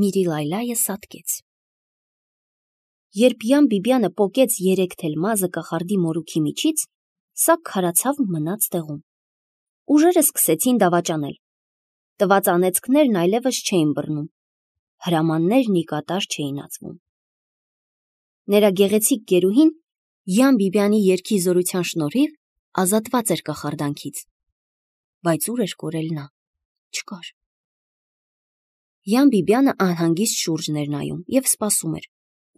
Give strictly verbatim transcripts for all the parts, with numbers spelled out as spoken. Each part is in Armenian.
Միրիլայլայը սատկեց։ Երբ Յան Բիբյանը պոկեց երեք թելմազը կախարդի մորուքի միջից, սա քարացավ մնաց տեղում։ Ուժերը սկսեցին դավաճանել։ Տված անեծքներն այլևս չէին բռնում, հրամաններն ի կատար չէին ածվում։ Նրա գեղեցիկ գերուհին Յան Բիբյանի երգի զորության շնորհիվ ազատված էր կախարդանքից, բայց ուր էր կորել նա, չկար։ Յան Բիբյանը անհանգիստ շուրջն էր նայում և սպասում էր,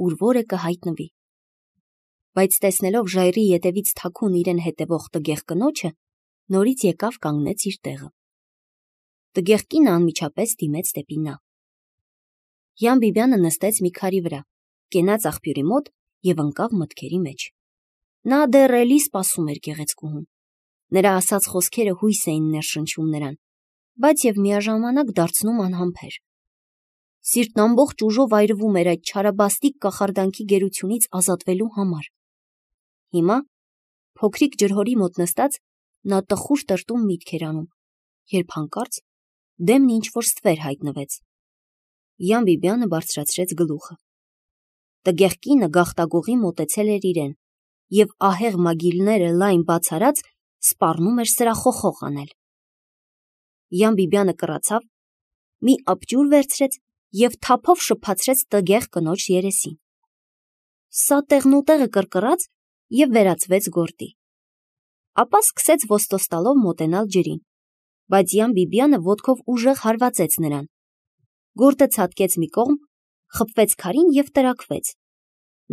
ուր որը կհայտնվի։ Բայց տեսնելով ժայռի ետևից թաքուն իրեն հետևող տգեղ կնոջը, նորից եկավ կանգնեց իր տեղը։ Տգեղ կինը անմիջապես դիմեց դեպի նա։ Յան Բիբյանը նստեց մի քարի վրա, կենաց աղբյուրի մոտ և ընկավ մտքերի մեջ։ Նա դեռ էլի սպասում էր գեղեցկուհուն։ Նրա ասած խոսքերը հույս էին ներշնչում նրան, բայց և միաժամանակ դարձնում անհամբեր։ Սիրտն ամբողջ ուժով այրվում էր այդ չարաբաստիկ կախարդանքի գերությունից ազատվելու համար։ Հիմա, փոքրիկ ջրհորի մոտ նստած, նա տխուր տրտում միտք էր անում, երբ հանկարծ դեմն ինչ-որ ստվեր հայտնվեց։ Յան Բիբյանը բարձրացրեց գլուխը։ Տգեղ կինը գաղտագողի մոտեցել էր իրեն և ահեղ մագիլները լայն բաց արած սպառնում էր սրախոխող անել։ Յան Բիբյանը կռացավ, մի աբջուր վերցրեց և թափով շփացրեց տգեղ կնոջ երեսին։ Սա տեղնուտեղը կռկռաց և վերածվեց գորտի։ Ապա սկսեց ոստոստալով մոտենալ ջրին, բայց Յան Բիբյանը ոտքով ուժեղ հարվածեց նրան։ Գորտը ցատկեց մի կողմ, խփվեց քարին և տրաքվեց։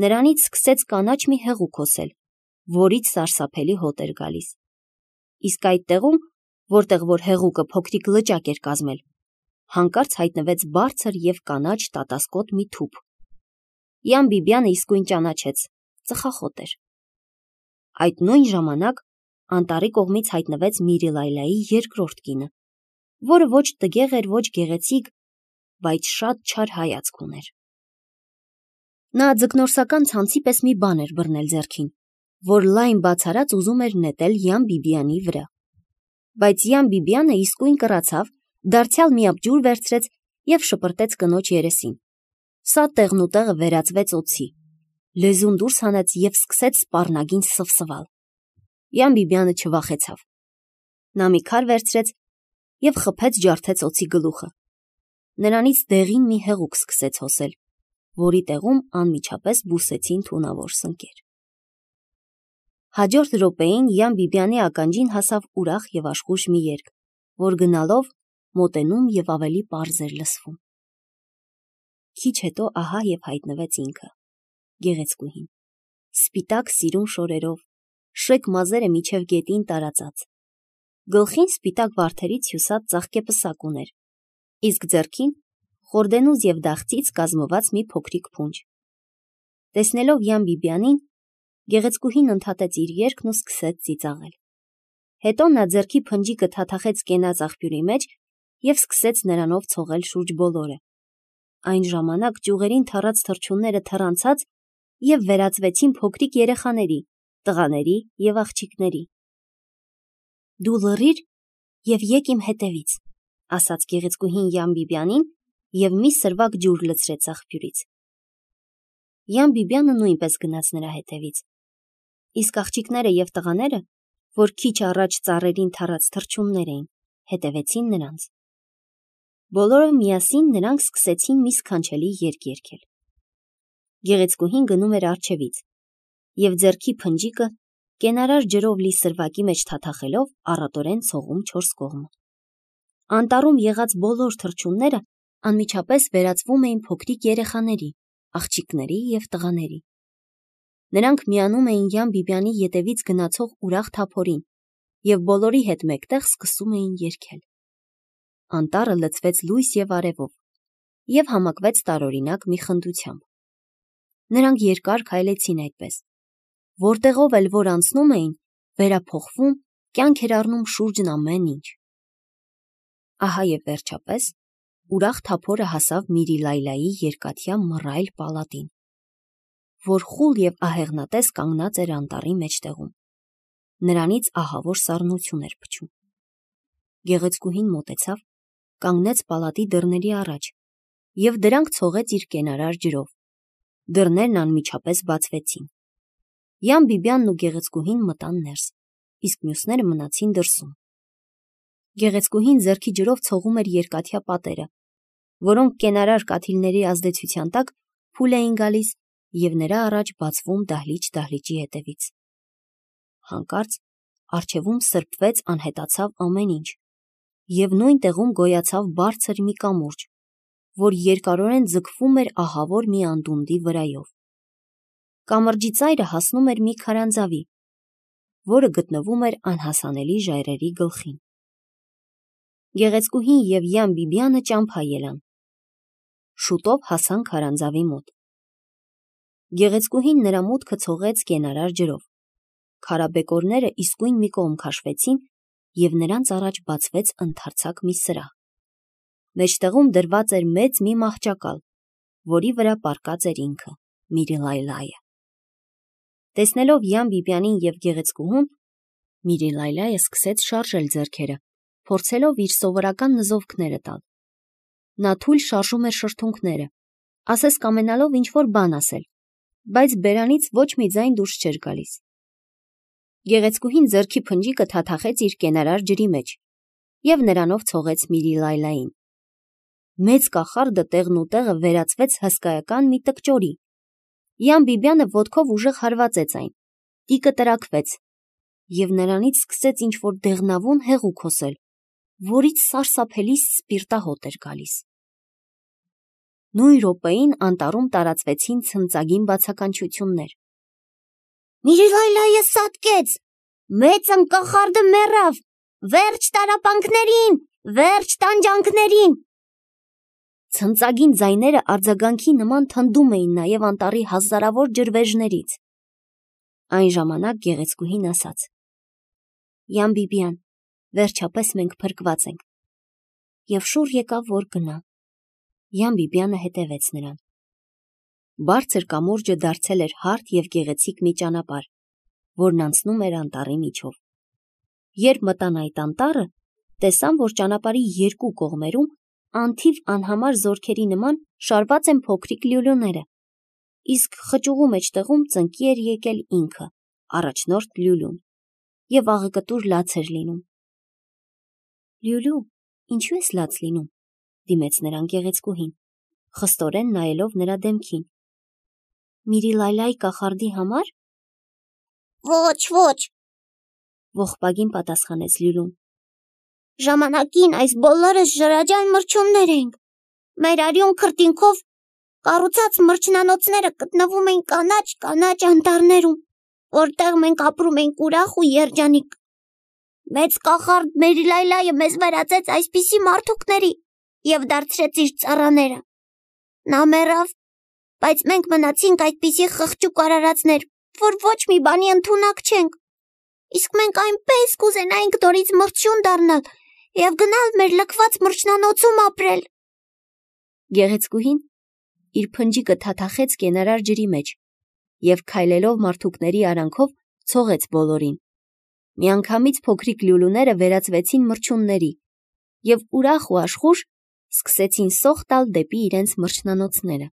Նրանից սկսեց կանաչ մի հեղուկ հոսել, որից սարսափելի հոտ էր գալիս։ Իսկ այդ տեղում, որտեղ որ հեղուկը փոքրիկ լճակ էր կազմել, հանկարծ հայտնվեց բարձր և կանաչ տատասկոտ մի թուփ։ Յան Բիբյանը իսկույն ճանաչեց, ծխախոտ էր։ Այդ նույն ժամանակ անտառի կողմից հայտնվեց Միրիլայլայի երկրորդ կինը, որը ոչ տգեղ էր, ոչ գեղեցիկ, բայց շատ չար հայացք ուներ։ Նա ձկնորսական ցանցի պես մի բան էր բռնել ձեռքին, որ լայն բաց արած ուզում էր նետել Յան Բիբյանի վրա։ Բայց Յան Բիբյանը իսկույն կռացավ, դարձյալ մի աբջուր վերցրեց և շպրտեց կնոջ երեսին։ Սա տեղնուտեղը վերածվեց օձի, լեզուն դուրս հանեց և սկսեց սպառնագին սվսվալ։ Յան Բիբյանը չվախեցավ։ Նա մի քար վերցրեց և խփեց ջարդեց օձի գլուխը։ Նրանից դեղին մի հեղուկ սկսեց հոսել, որի տեղում անմիջապես բուսեցին թունավոր սնկեր։ Հաջորդ րոպեին Յան Բիբյանի ականջին հասավ ուրախ և աշխույժ մի երգ, որ գնալով մոտենում և ավելի պարզ էր լսվում։ Քիչ հետո ահա և հայտնվեց ինքը, գեղեցկուհին, սպիտակ սիրուն շորերով, շեք մազերը մինչև գետին տարածած։ Գլխին սպիտակ վարդերից հյուսած ծաղկեպսակ ուներ, իսկ ձեռքին խորդենուզ և դաղցից կազմված մի փոքրիկ փունջ։ Տեսնելով Յան Բիբյանին, գեղեցկուհին ընդհատեց իր երգն ու սկսեց ծիծաղել։ Հետո նա ձեռքի փնջիկը թաթախեց կենաց աղբյուրի մեջ և սկսեց նրանով ցողել շուրջ բոլորը։ Այն ժամանակ ճյուղերին թռած թռչունները թռանցած և վերածվեցին փոքրիկ երեխաների, տղաների և աղջիկների։ Դու լռիր և եկ իմ հետևից, ասաց գեղեցկուհին Յան Բիբյանին և մի սրվակ ջուր լցրեց աղբյուրից։ Յան Բիբյանը նույնպես գնաց նրա հետևից, իսկ աղջիկները և տղաները, որ քիչ առաջ ծառերին թռած թռչուններ էին, հետևեցին նրանց։ Բոլորը միասին նրանք սկսեցին մի սքանչելի երգ երգել։ Գեղեցկուհին գնում էր առջևից և ձեռքի փնջիկը կենարար ջրով լի սրվակի մեջ թաթախելով առատորեն ցողում չորս կողմը։ Անտառում եղած բոլոր թռչունները անմիջապես վերածվում էին փոքրիկ երեխաների, աղջիկների և տղաների։ Նրանք միանում էին Յան Բիբյանի ետևից գնացող ուրախ թափորին և բոլորի հետ մեկտեղ սկսում էին երգել։ Անտառը լցվեց լույս և արևով և համակվեց տարօրինակ մի խնդությամբ։ Նրանք երկար քայլեցին այդպես, որտեղով էլ որ անցնում էին, վերափոխվում, կյանք էր առնում շուրջն ամեն ինչ։ Ահա և վերջապես ուրախ թափորը հասավ Միրիլայլայի երկաթյա մռայլ պալատին, որ խուլ և ահեղնատես կանգնած էր անտառի մեջտեղում։ Նրանից ահավոր սառնոթյուն էր փչում։ Գեղեցկուհին մոտեցավ, կանգնեց պալատի դռների առաջ և դրանք ցողեց իր կենարար ջրով։ Դռներն անմիջապես բացվեցին։ Յան Բիբյանն ու գեղեցկուհին մտան ներս, իսկ մյուսները մնացին դրսում։ Գեղեցկուհին ձեռքի ջրով ցողում էր երկաթյա պատերը, որոնք կենարար կաթիլների ազդեցության տակ փուլ էին գալիս և նրա առաջ բացվում դահլիճ-դահլիճի հետևից։ Հանկարծ առջևում սրբվեց, անհետացավ ամեն ինչ, և նույն տեղում գոյացավ բարձր մի կամուրջ, որ երկարորեն ձգվում էր ահավոր մի անդունդի վրայով։ Կամրջի ծայրը հասնում էր մի քարանձավի, որը գտնվում էր անհասանելի ժայռերի գլխին։ Գեղեցկուհին և Յան Բիբյանը ճամփա ելան։ Շուտով հասան քարանձավի մոտ։ Գեղեցկուհին նրա մուտքը ցողեց կենարար ջրով։ Քարաբեկորները իսկույն մի կողմ քաշվեցին, և նրանց առաջ բացվեց ընդարձակ մի սրահ։ Մեջտեղում դրված էր մեծ մի մահճակալ, որի վրա պառկած էր ինքը՝ Միրիլայլայը։ Տեսնելով Յան Բիբյանին և գեղեցկուհուն, Միրիլայլայը սկսեց շարժել ձեռքերը, փորձելով իր սովորական նզովքները տալ։ Նա թույլ շարժում էր շրթունքները, ասես կամենալով ինչ-որ բան ասել, բայց բերանից ոչ մի ձայն դուրս չէր գալիս։ Գեղեցկուհին ձեռքի փնջիկը թաթախեց իր կենարար ջրի մեջ և նրանով ցողեց Միրիլայլային։ Մեծ կախարդը տեղնուտեղը վերածվեց հսկայական մի տկճորի։ Յան Բիբյանը ոտքով ուժեղ հարվածեց այն, տիկը տրաքվեց, և նրանից սկսեց ինչ-որ դեղնավուն հեղուկ հոսել, որից սարսափելի սպիրտահոտ էր գալիս։ Նույն րոպեին անտառում տարածվեցին ցնծագին բացականչություններ։ «Միրիլայլայը սատկեց, մեծն կախարդը մեռավ, վերջ տառապանքներին, վերջ տանջանքներին»։ Ցնծագին ձայները արձագանքի նման թնդում էին նաև անտառի հազարավոր ջրվեժներից։ Այն ժամանակ գեղեցկուհին ասաց. «Յան Բիբյան, վերջապես մենք փրկված ենք»։ Եվ շուռ եկավ, որ գնա։ Յան Բիբյանը հետևեց նրան։ Բարձր կամուրջը դարձել էր հարթ և գեղեցիկ մի ճանապարհ, որն անցնում էր անտառի միջով։ Երբ մտան այդ անտառը, տեսան, որ ճանապարհի երկու կողմերում անթիվ անհամար զորքերի նման շարված են փոքրիկ լյուլյուները, իսկ խճուղու մեջտեղում ծնկի էր եկել ինքը՝ առաջնորդ լյուլյուն, և աղեկտուր լաց էր լինում։ «Լյուլյու, ինչու ես լաց լինում»։ Դիմեց նրան գեղեցկուհին, խստորեն նայելով նրա դեմքին։ «Միրիլայլայ կախարդի համար»։ «Ոչ, ոչ», ողբագին պատասխանեց լյուլյուն։ «Ժամանակին այս բոլորս ջրաջան մրջյուններ էինք։ Մեր արյուն քրտինքով կառուցած մրջնանոցները գտնվում էին կանաչ-կանաչ անտառներում, որտեղ մենք ապրում էինք ուրախ ու երջանիկ։ Մեծ կախարդ Միրիլայլայը մեզ վերածեց այսպիսի մարդուկների և դարձրեց իր ծառաները։ Նա մեռավ, բայց մենք մնացինք այդպիսի խղճուկ արարածներ, որ ոչ մի բանի ընդունակ չենք։ Իսկ մենք այնպես կուզենայինք նորից մրջյուն դառնալ և գնալ մեր լքված մրջնանոցում ապրել»։ Գեղեցկուհին իր փնջիկը թաթախեց կենարար ջրի մեջ և քայլելով մարդուկների արանքով ցողեց բոլորին։ Միանգամից փոքրիկ լյուլյուները վերածվեցին մրջյունների և ուրախ ու աշխույժ սկսեցին սոխ տալ դեպի իրենց մրջնանոցները։